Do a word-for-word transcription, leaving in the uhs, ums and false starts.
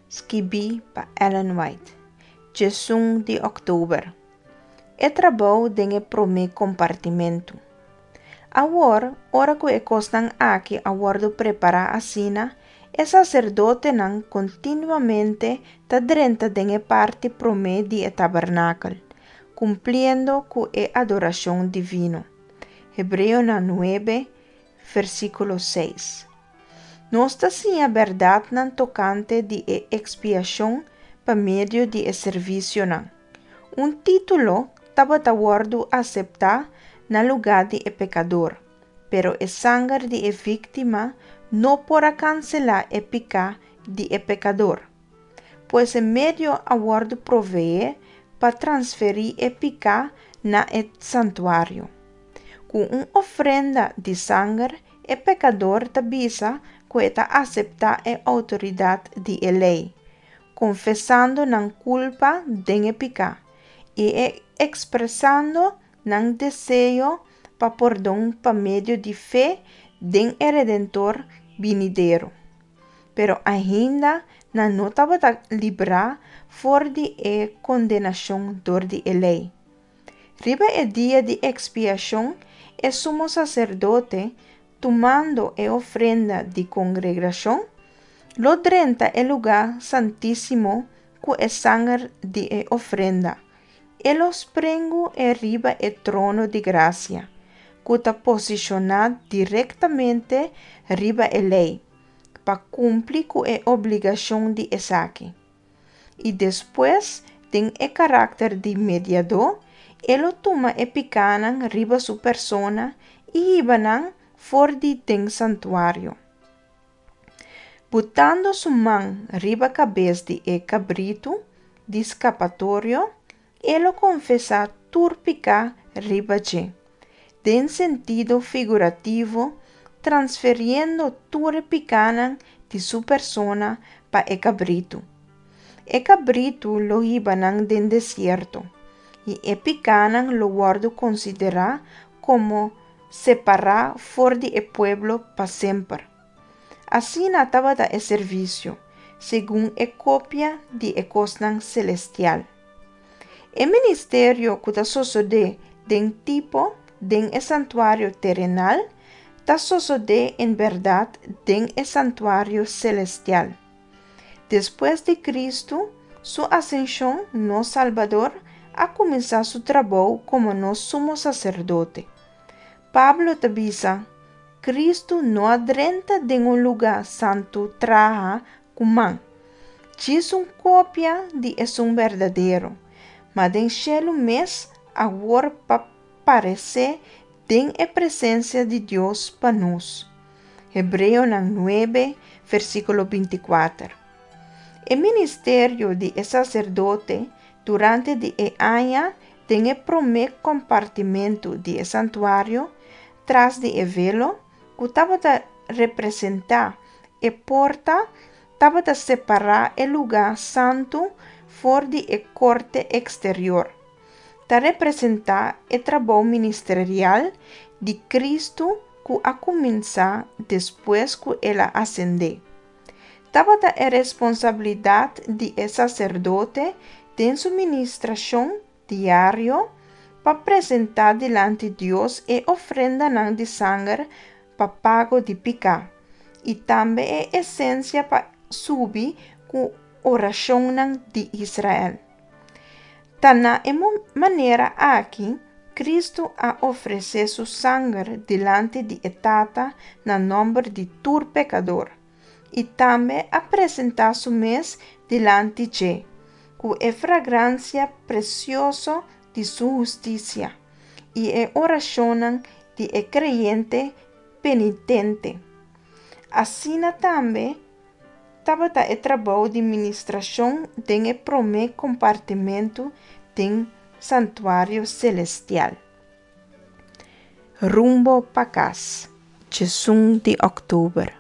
Skibí pa Ellen White, diesun di òktober. E trabou den e promé kompartimentu. Awor, ora ku e kosnan aki a wòrdu prepará asina, e saserdotenan kontinuamente ta drenta den e parti promé di e tabernakel, kumpliendo ku e adorashon divino. Hebreonan nuebe, versíkulo seis. Nos ta siña bèrdatnan tokante di e ekspiashon pa medio di e servisionan. Un título tabata wòrdu aseptá na lugá di e pekador, pero e sanger di e víktima no por a kanselá e piká di e pekador. Pues e medio a wòrdu proveé pa transferí e piká na e santuario. Ku un ofrenda di sanger, e pekador ta bisa ku e ta aseptá e outoridat di e lei, konfesando nan kulpa den e piká i e ekspresando nan deseo pa pordon pa medio di fe den e Redentor binidero. Pero ainda nan no tabata librá for di e kondenashon dor di e lei. Riba e dia di ekspiashon, e sumo saserdote, tumando e ofrenda di kongregashon, lo drenta e lugá santísimo ku e sanger di e ofrenda. E lo sprengu e riba e trono di grasia, ku ta posishoná direktamente riba e lei, pa kumpli ku e obligashon di esaki. I despues, den e karakter di mediadó, e lo tuma e pikánan riba su persona i hiba nan for di den santuario. Butando su man riba kabes di e kabritu di skapatorio, e lo konfesá tur piká riba dje, den sentido figurativo, transferiendo tur e pikánan di su persona pa e kabritu. E kabritu lo hiba nan den desierto, i e pikánan lo wòrdu konsiderá komo separá for di e pueblo pa semper. Asina tabata e servisio, segun e kopia di e kosnan selestial. E ministerio ku ta sosodé den tipo den e santuario terenal, ta sosodé en bèrdat den e santuario selestial. Despues di Kristu su asenshon, nos Salbador a kuminsá su trabou komo nos sumo saserdote. Pablo ta bisa, Kristu no a drenta den un lugá santu trahá ku man, djis un kopia di esun berdadero, ma den shelu mes awor pa paresé den e presensia di Dios pa nos. Hebreonan nuebe, versíkulo binti kuater. E ministerio di e saserdote durante di e aña den e promé kompartimentu di e santuario, tras di e velo, ku tabata representá e porta, tabata separá e lugá santu for di e korte eksterior. Ta representá e trabou ministerial di Kristu ku a kuminsá despues ku el a asendé. Tabata e responsabilidat di e saserdote den su ministrashon diario pa presentá dilanti Dios e ofrendanan di sanger pa pago di piká i tambe e insensia pa subi ku orashonnan di Israel. Ta na e manera aki Kristu a ofresé su sanger dilanti di e Tata na nòmber di tur pekador i tambe a presentá su mes dilanti dje, ku e fragransia presioso di su hustisia i e orashonnan di e kreyente penitente. Asina tambe tabata e trabou di ministrashon den e promé kompartimentu den santuario selestial. Rumbo pa kas, diesun di òktober.